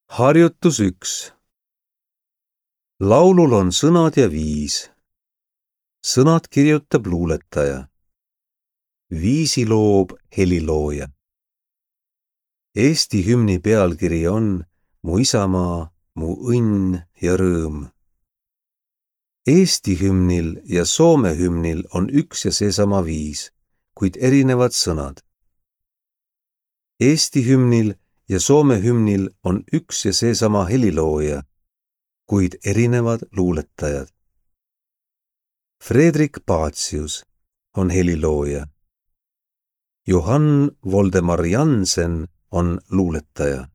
Harjutus 1. Laulul on sõnad ja viis. Sõnad kirjutab luuletaja. Viisi loob helilooja. Eesti hümni pealkiri on Mu isamaa, mu õnn ja rõõm. Eesti hümnil ja Soome hümnil on üks ja seesama viis, kuid erinevad sõnad. Eesti hümnil ja Soome hümnil on üks ja seesama helilooja, kuid erinevad luuletajad. Fredrik Pacius on helilooja. Johann Voldemar Jansen on luuletaja.